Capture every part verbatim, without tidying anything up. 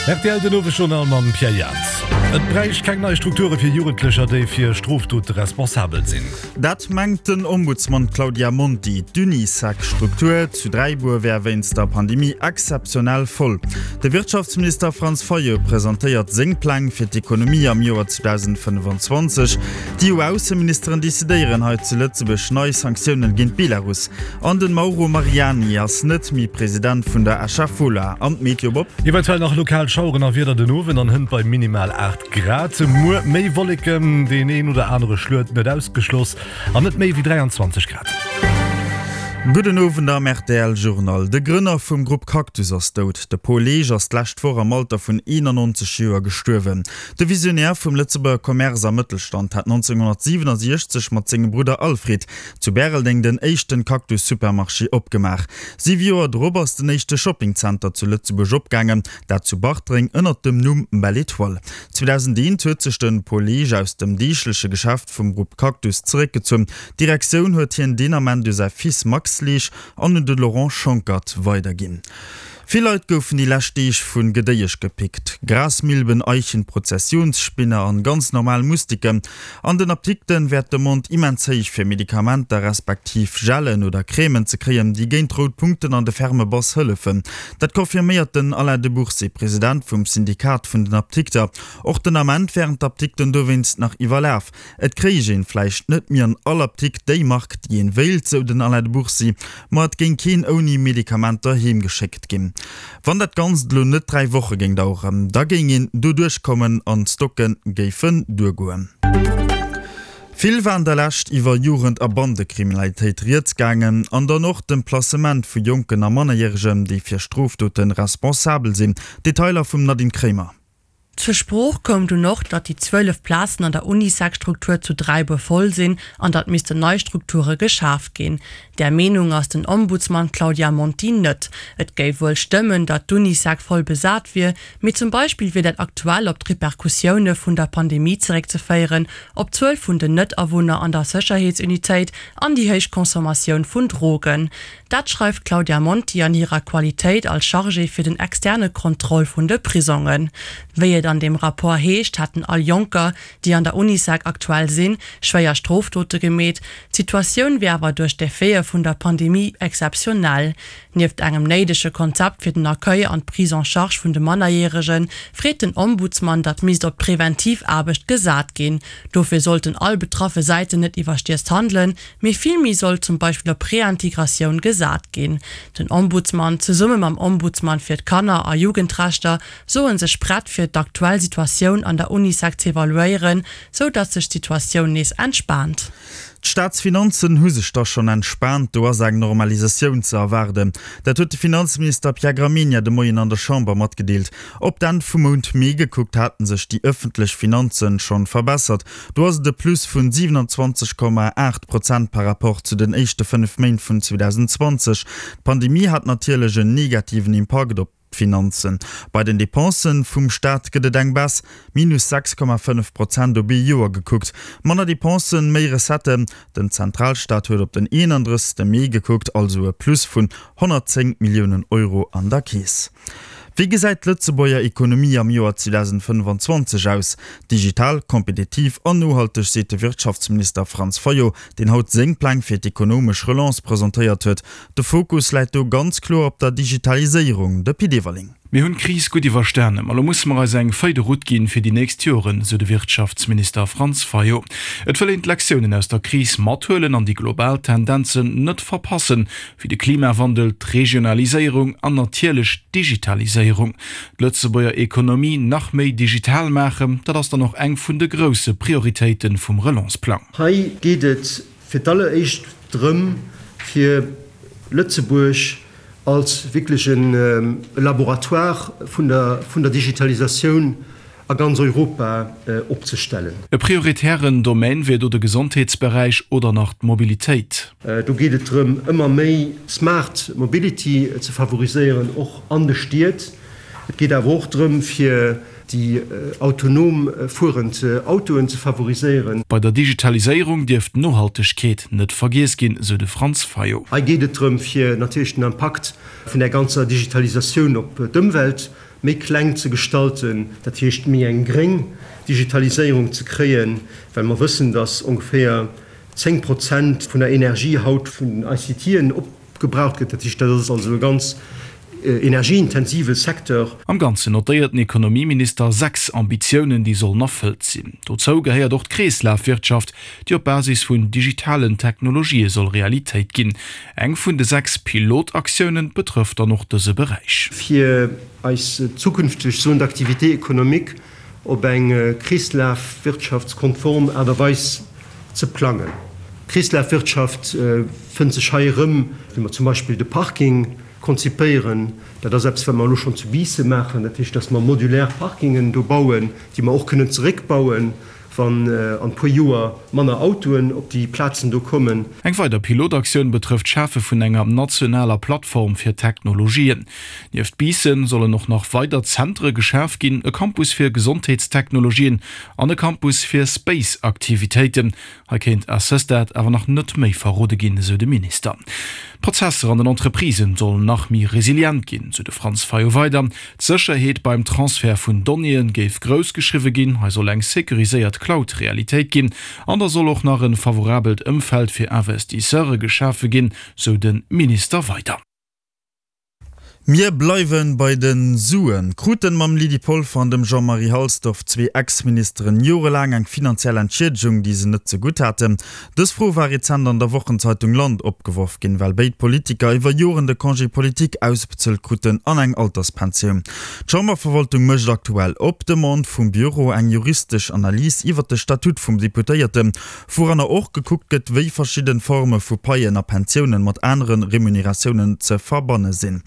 Rtl den Owesjournal mam Pierre Jans. Et bräicht keng nei Strukture fir Jugendlecher, déi fir Strofdote responsabel sinn. Dat mengt den Ombudsman Claudia Monti. D'Unisec-Struktur zu Dräibuer wär wéinst der Pandemie exzeptionell voll. De Wirtschaftsminister Franz Fayot presentéiert seng Pläng fir d'Ekonomie am Joer zweedausendfënnefanzwanzeg. D'EU-Ausseministeren decidéieren hei zu Lëtzebuerg nei Sanktiounen géint Belarus. An den Mauro Mariani ass net méi President vun der Escher Fola. An d'Meteo Bob? Eventuell nach lokal Schaueren a Wieder den Owend an hënt bei minimal aacht Grad. Muer méi Wolleken, deen een oder anere Schluet net ausgeschloss an net méi wéi dräianzwanzeg Grad. Gudden Owend am rtl Journal. De Grënner vum Grupp Cactus ass dout. De Paul Leesch ass d'lescht Woch am Alter vun eenannonzeg Joer gestuerwen. De Visionär vum Lëtzebuerger Commerce a Mëttelstand hat nonzénghonnertsiwenansiechzeg mat sengem Brudder Alfred zu Bäreldeng den éischten Cactus Supermarché opgemaach. Siwe Joer drop ass den éischte Shoppingzenter zu Lëtzebuerg opgaangen, dat zu Bartreng ënnert dem Numm Belle Etoile. zweedausendeent huet sech de Paul Leesch aus dem deegleche Geschäft vum Grupp Cactus zeréckgezunn. D'Direktioun huet hien deen Ament u säi Fils Max Leesch an un de Laurent Schonckert weiderginn. Vill Leit goufen déi lescht Deeg vu Gedéiesch gepickt. Grasmilben, Eichen, Prozessionsspinner an ganz normal Mustiken. An den Apdikten wär d'Demande immens héich fir Medikamenter respektiv Gellen oder Crèmen ze kréien, déi géint rout Punkten an de ferme Bass hëllefen. Dat confirméiert den Alain de Bourcy, President vum Syndikat vun den Apdikter. Och den Ament wären d'Apdikten dowéinst nach iwwerlaf. Et kréich een vläicht net méi an all Apdikt déi Mark, déi een wéilt, sou den Alain de Bourcy, ma et géing keen ouni Medikamenter heem geschéckt ginn. Wann dat Ganzt elo net dräi Woche géing daueren, da géing een doduerch kommen an d'Stocke géifen duergoen. Vill war an der Lescht iwwer Jugend a Bandekriminalitéit rieds gaangen an dann och dem Placement vu Jonken a Mannerjäregen, déi fir Strofdote responsabel sinn. Detailer vum Nadine Kremer. Zur Sprooch koum dunn och, datt déi zwielef Plazen an der Unisec-Struktur zu Dräibuer voll sinn an datt missten nei Strukture geschaf ginn. Där Meenung ass den Ombudsman Claudia Monti net. Et géif wuel stëmmen, datt d'Unisec voll besat wier, mee zum Beispill wier dat aktuell op d'Repercussioune vun der Pandemie zeréckzeféieren, op d'Zuel vun den Net-Awunner an der Sécherheetsunitéit an déi héich Consommatioun vun Drogen. Dat schreift d'Claudia Monti an hirer Qualitéit als Chargée fir den externe Contrôle vun de Prisongen. Wéi et an deem Rapport heescht, hätten all Jonker, déi an der Unisec aktuell sinn, schwéier Strofdote gemeet. D'Situatioun wier awer duerch d'Effete vun der Pandemie exzeptionell. Nieft engem néidege Konzept fir den Accueil an d'Prise en charge vun de Mannerjäregen, freet den Ombudsman, datt misst op d'präventiv Aarbecht gesat ginn. Dofir sollten all betraffe Säiten net iwwerstierzt handelen, mee villméi sollt zum Beispill op Reintegratioun gesat ginn. Den Ombudsman, zesumme mam Ombudsman fir d'Kanner a Jugendrechter, soe sech prett fir d'aktuell Situatioun an der Unisec z'evaluéieren, sou datt sech d'Situatioun nees entspaant. D'Staatsfinanzen hu sech da schonn entspaant, do ass eng Normalisatioun ze erwaarden. Dat huet de Finanzminister Pierre Gramegna de Moien an der Chamber matgedeelt. Op d'Enn vum Mount Mee gekuckt hate sech déi ëffentlech Finanzen schonn verbessert. Do ass et e Plus vun siwenanzwanzeg Komma aacht Prozent par rapport zu den éischte fënnef Méint vun zweedausendzwanzeg D'Pandemie hat natierlech en negativen Impakt op d'Finanzen. Bei den Depensen vum Staat gëtt et eng Baisse, minus sechs Komma fënnef Prozent op ee Joer gekuckt. Manner Depensen, méi Recetten. Den Zentralstaat huet op den eenandrëssegste Mee gekuckt, also e Plus vun honnertzéng Milliounen Euro an der Keess. Wéi gesäit d'Lëtzebuerger Ekonomie am Joer zweedausendfënnefanzwanzeg aus? Digital, kompetitiv an nohalteg, seet de Wirtschaftsminister Franz Fayot, deen haut seng Pläng fir d'ekonomesch Relance presentéiert huet. De Fokus läit do ganz kloer op der Digitaliséierung. De Pit Everling. Mir hunn d'Kris gutt iwwerstanen, ma lo musse mer eis eng Feuille de route ginn fir déi nächst Joren, sou de Wirtschaftsminister Franz Fayot. Et wëll een d'Lektiounen aus der Kris mathuelen an déi global Tendenzen net verpassen, wéi de Klimawandel, d'Regionaliséierung an natierlech d'Digitaliséierung. D'Lëtzebuerger Ekonomie nach méi digital maachen, dat ass dann och eng vun de grousse Prioritéite vum Relance-Plang. Hei geet et fir d'alleréischt drëm, fir Lëtzebuerg als wierklech e Laboratoire vun der Digitalisatioun a ganz Europa opzestellen. E prioritären Domaine wier do de Gesondheetsberäich oder nach d'Mobilitéit. Do geet et drëm, ëmmer méi smart mobility ze favoriséieren, och an de Stied. Et geet awer och drëm, fir déi autonom fuerend Autoen ze favoriséieren. Bei der Digitaliséierung dierf d'Nohaltegkeet net vergiess ginn, sou de Franz Fayot. Hei geet et drëm, fir natierlech den Impakt vun där ganzer Digitalisatioun op d'Ëmwelt méi kleng ze gestalten, dat heescht méi eng gréng Digitaliséierung ze kréien, well mer wëssen, dass ongeféier zéng Prozent vun der Energie haut vun den ICTen opgebraucht gëtt. Dat heescht, dat ass also e ganz energieintensive Secteur. Am Ganzen notéiert den Ekonomieminister sechs Ambitiounen, déi sollen erfëllt sinn. Dozou gehéiert och d'Kreeslafwirtschaft, déi op Basis vun digitalen Technologië soll Realitéit ginn. Eng vun de sechs Pilotaktiounen betrëfft dann och dëse Beräich. Fir eis zukünfteg Zone d'activité économique op eng kreeslafwirtschaftskonform Aart a Weis ze plangen. D'Kreeslafwirtschaft fënnt sech hei erëm, wéi mer zum Beispill de Parking konzipéieren. Dat ass eppes, wat mer elo schonn zu Biissen maachen, dat heescht, dass mer modulär Parkingen do bauen, déi mer och kënnen zeréckbauen, wann an e puer Joer manner Autoen op déi Plazen do kommen. Eng weider Pilotaktioun betrëfft d'Schafe vun enger nationaler Plattform fir Technologien. Nieft Biissen sollen och nach weider Zentere geschaf ginn, e Campus fir Gesondheetstechnologien an e Campus fir Space-Aktivitéiten. Hei kéint à ce stade awer nach net méi verrode ginn, esou de Minister. D'Prozesser an den Entreprisen sollen nach méi resilient ginn, sou de Franz Fayot weider. D'Sécherheet beim Transfert vun Donnéeë géif grouss geschriwwe ginn, hei soll eng securiséiert Cloud Realitéit ginn an da soll och nach e favorabelt Ëmfeld fir Investisseure geschafe ginn, sou de Minister weider. Mir bleiwen bei den Suen. Kruten mam Lydie Polfer an dem Jean-Marie Halsdorf zwee Ex-Ministeren jorelaang eng finanziell Entschiedegung, déi se net zegutt haten? Dës Fro war rezent an der Wochenzeitung Land opgeworf ginn, well béid Politiker iwwer Joren de Congé politique ausbezuelt kruten an eng Alterspensioun. D'Chamberverwaltung mécht aktuell op Demande vum Bureau eng juristesch Analys iwwer de Statut vum Deputéierten, wouranner och gekuckt gëtt, wéi verschidden Forme vu Paien a Pensiounen mat anere Remuneratiounen ze verbanne sinn.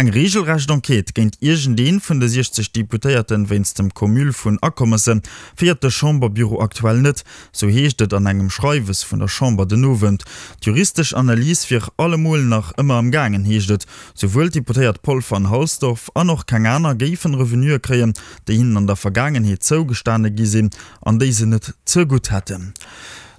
Eng reegelrecht Enquête géint iergendee vun de siechzeg Deputéierten wéinst dem Cumul vun Akommesse féiert de Chamberbüro aktuell net, sou heescht et an engem Schreiwes vun der Chamber den Owend. D'juristesch Analys wier allemol nach ëmmer am gaangen, heescht et. Souwuel d'Deputéiert Polfer an Halsdorf an och keng aner géifen Revenuë kréien, déi hinnen an der Vergaangenheet zougestane gi sinn an déi se net zegutt hätten.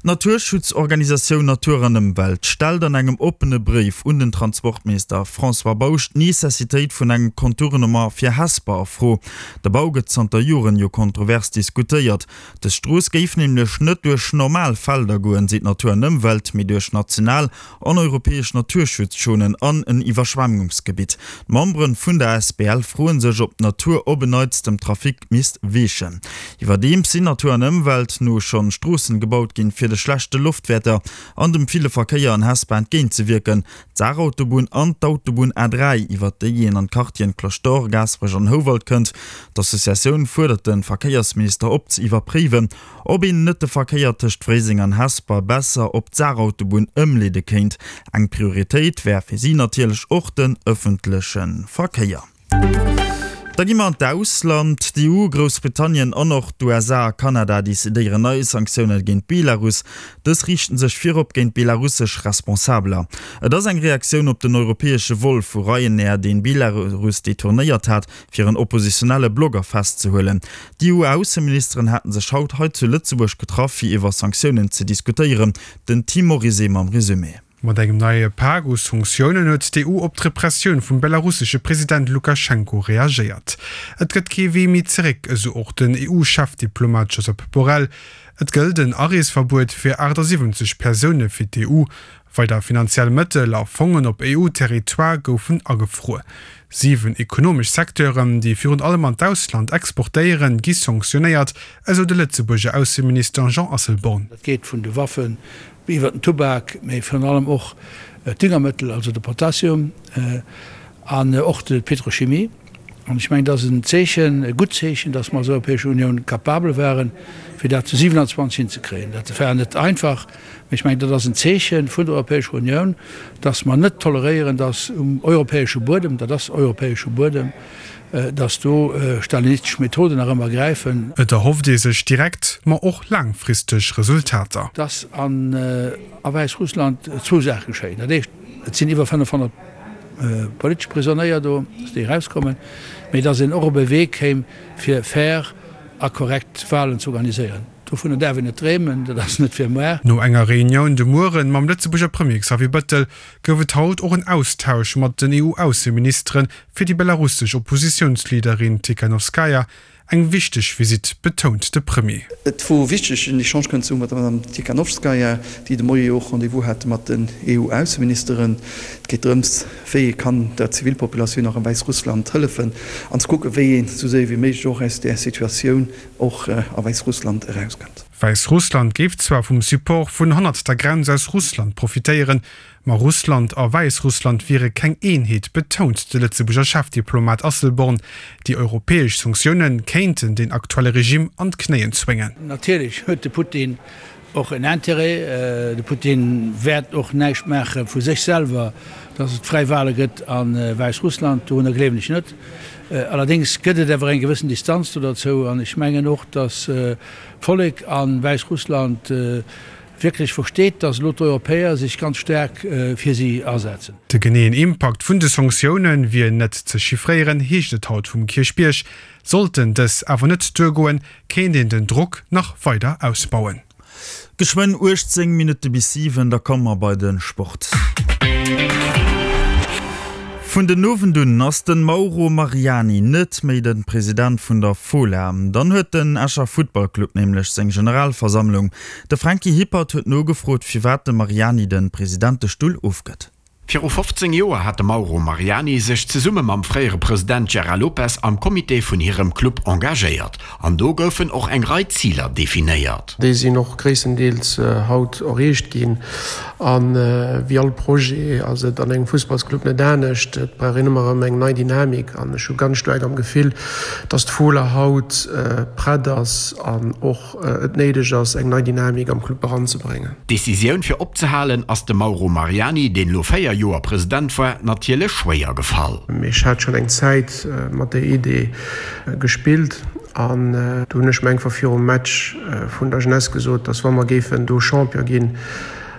D'Naturschutzorganisatioun Natur an Ëmwelt stellt an engem oppene Bréif un den Transportminister François Bausch d'Necessitéit vun engem Contournement fir Hesper a Fro. De Bau gëtt zanter Joren jo kontrovers diskutéiert. Dës Strooss géif nämlech net duerch normal Felder goen, seet Natur an Ëmwelt, mee duerch national an europäesch Naturschutzzonen an en Iwwerschwemmungsgebitt. D'Membere vun der Asbl froe sech, ob d'Natur op en Neits dem Trafic misst weechen. Iwwerdeems sinn Natur an Ëmwelt no schonn Stroossen gebaut ginn, fir de schlechte Loftwäerter an dem ville Verkéier an Hesper entgéint ze wierken. D'Saarautobunn an d'Autobunn A dräi, iwwert déi een an d'Quartieren Cloche d'Or, Gaasperech an Houwald kënnt. D'Associatioun fuerdert de Verkéiersminister op ze iwwerpréiwen, ob een net de Verkéier tëscht Fréiseng an Hesper besser op d'Saarautobunn ëmleede kéint. Eng Prioritéit wär fir si natierlech och den ëffentleche Verkéier. Da gi mer an d'Ausland. D'EU, Groussbritannien an och d'USA a Kanada decidéieren nei Sanktioune géint Belarus. Dës riichten sech virop géint belarussesch Responsabeler. Et ass eng Reaktioun op den europäesche Vol vu Ryanair, deen Belarus detournéiert hat, fir en oppositionelle Blogger festzehuelen. D'EU-Ausseministeren haten sech haut hei zu Lëtzebuerg getraff, fir iwwer Sanktiounen ze diskutéieren. Den Tim Morizet mam Resumé. Mat engem neie Pak u Sanktiounen huet d'EU op d'Repressioun vum belarussesche President Lukaschenko reagéiert. Et gëtt kee Wee méi zeréck, esou och den EU-Chefdiplomat Josep Borrell. Et gëllt en Areesverbuet fir achtasiwwenzeg Persoune fir d'EU. Weider finanziell Mëttel a Fongen op EU-Territoire goufen agefruer. Siwen ekonomesch Secteuren, déi virun allem an d'Ausland exportéieren, gi sanktionéiert, esou de Lëtzebuerger Ausseminister Jean Asselborn. Dat geet vun de Waffen iwwer den Tubak, mee virun allem och d'Düngermëttel, also de Potassium, an och d'Petrochimie. An ech mengen, dat ass en Zeechen, e gutt Zeechen, datt mer als Europäesch Unioun capabel waren, fir dat zu siewenundzwanzeg hinzekréien. Dat war net einfach, mee ech mengen, dat ass en Zeeche vun der Europäescher Unioun, datt mer net toleréieren, datt um europäesche Buedem, dat ass europäesche Buedem, datt do stalinistesch Methoden nach ëmmer gräifen. Et erhofft ee sech direkt, ma och laangfristeg Resultater. Datt a Wäissrussland zwou Saache geschéien. Dat éischt, et sinn iwwer fënnefhonnert politesch Prisonéier do, datt déi erauskommen, mee datt een och op e Wee kéim, fir fair a korrekt Walen ze organiséieren. Dovunner däerf een net dreemen, dat ass net fir muer. No enger Reunioun de Mueren mam Lëtzebuerger Premier Xavier Bettel gouf et haut och en Austausch mat den EU-Ausseministeren fir déi belarussesch Oppositiounsleaderin Tikhanovskaja. Eng wichteg Visitt, betount de Premier. Et wor wichteg en Echange kënnen ze hu mat der Madame Tikhanovskaja, déi de Moie jo och Rendez-vous hat mat den EU-Ausseministeren. Et geet drëms, wéi ee kann der Zivilpopulatioun och a Wäissrussland hëllefen an ze kucken, wéi een esou séier wéi méiglech och aus där Situatioun och a Wäissrussland erauskënnt. Wäissrussland géif zwar vum Support vun hannert der Grenz aus Russland profitéieren, ma Russland a Wäissrussland wiere keng Eenheet, betount de Lëtzebuerger Chefdiplomat Asselborn. Déi europäesch Sanktioune kéinten den aktuelle Regime an d'Knéien zwéngen. Natierlech huet de Putin och en Interêt. De Putin wäert och näischt maache vu sech selwer, datt et fräi Wale gëtt a Wäissrussland. Dorunner gleewen ech net. Allerdéngs gëtt et awer eng gewëssen Distanz do derzou an ech mengen och, datt d'Vollek a Wäissrussland wierklech versteet, datt elo d'Europäer sech ganz staark fir si asetzen. De geneeën Impakt vun de Sanktioune wier net ze chiffréieren, heescht et haut vum Kierchbierg. Sollten dës awer net duergoen, kéint een den Drock nach weider ausbauen. Geschwënn uechtzéng Minutte bis siwen, da komme mer bei de Sport. Vun den Owend un ass den Mauro Mariani net méi den President vun der Fola. Dann huet den Escher Futtballclub nämlech seng Generalversammlung. De Franky Hippert huet nogefrot firwat de Mariani den Presidentestull ofgëtt. Viru fofzéng Joer hat de Mauro Mariani sech zesumme mam fréiere President Gérard Lopez am Comité vun hirem Club engagéiert. An do goufen och eng Rei Ziler definéiert. Déi sinn och gréisstendeels haut erreecht ginn. A wéi all Projet ass et an engem Fussballsclub net anescht, et brauch een ëmmer erëm eng nei Dynamik. An ech hu ganz staark am Gefill, datt d'Fola haut prett ass an och et néideg ass, eng nei Dynamik am Club eranzebréngen. D'Decisioun fir opzehalen ass dem Mauro Mariani, deen elo véier Joer President war, natierlech schwéier gefall. Ech hat schonn eng Zäit mat der Idee gespillt an do hunn ech mir einfach virum Match vun der Jeunesse gesot, dass wa mer géifen do Champion ginn,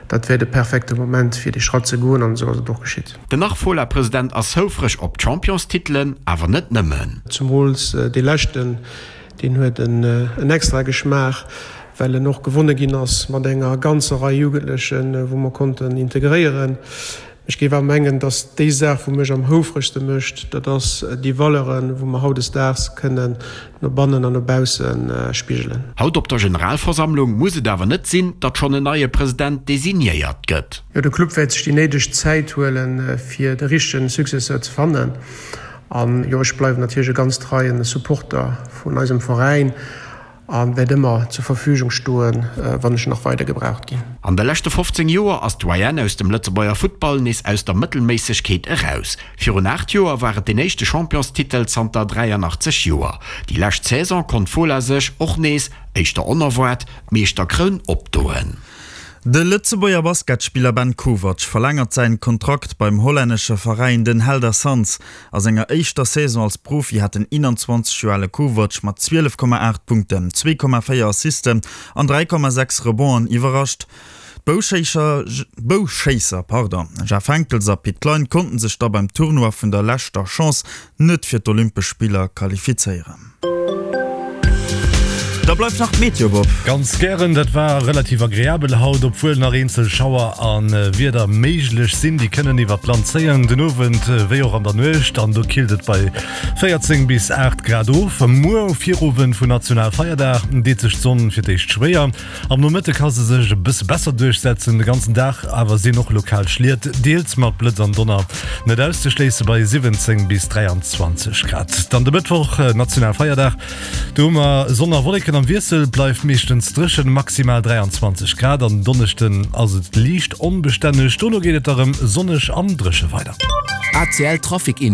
dat wär de perfekte Moment fir dee Schratt ze goen an esou ass et och geschitt. Den Nach-Fola-President ass houfreg op d'Championstitelen, awer net nëmmen. Zemools dee leschten, deen huet en extra Geschmaach, well en och gewonne ginn ass mat enger ganzer Rei Jugendlechen, wou mer konnten integréieren. Ech géif awer mengen, datt déi Saach, wou mech am houfregste mécht, dat ass déi Valeuren, wou mer hautdesdaags kënnen no bannen an no bausse spigelen. Haut op der Generalversammlung muss et awer net sinn, datt schonn en neie President designéiert gëtt. Jo, de Club wäert sech déi néideg Zäit huelen, fir de richtege Successeur ze fannen. An jo, ech bleiwen natierlech e ganz treien Supporter vun eisem Veräin a wäert ëmmer zur Verfügung stoen, wann ech nach weider gebraucht ginn. An de leschte fofzéng Joer ass d'Doyenne aus dem Lëtzebuerger Futtball nees aus der Mëttelméissegkeet eraus. Virun aacht Joer war et deen éischte Championstitel zanter dräianachtzeg Joer. Déi lescht Saison konnt d'Fola sech och nees, éischter onerwaart, d'Meeschterkroun opdoen. De Lëtzebuerger Basketspiller Ben Kovac verlängert säin Kontrakt beim hollännesche Veräin Den Helder Suns. A senger éischter Saison als Profi hat den eenanzwanzeg Joer ale Kovac mat zwielef Komma aacht Punkten, zwee Komma véier Assisten an dräi Komma sechs Rebonden iwwerrascht. D'Bouschéisser Jeff Henckels a Pit Klein konnten sech da beim Tournoi vun der leschter Chance net fir d'Olympesch Spiller qualifizéieren. Da bleift nach d'Meteo, Bob. Ganz gären, dat war relativ agreabel haut, obwuel nach eenzel Schauer a Wieder méiglech sinn. Déi kënnen iwwert d'Land zéien, den Owend wéi och an der Nuecht, an do killt et bei véierzéng bis aacht Grad of. Muer um Virowend vun Nationalfeierdag deet sech d'Sonn fir d'éischt schwéier. Am Nomëtte ka se sech e bësse besser duerchsetzen, de ganzen Dag awer sinn och lokal Schliet, deels mat Blëtz an Donner, net auszeschléisse bei siwwenzéng bis dräianzwanzeg Grad. Dann de Mëttwoch, Nationalfeierdag, do hu mer Sonn a Wolleken am Wiessel, bleift meeschtens dréchen, maximal dräianzwanzeg Grad. An Donneschden ass et liicht onbestänneg, dono geet et da rëm sonneg an dréche weider. A C L Trafic Info.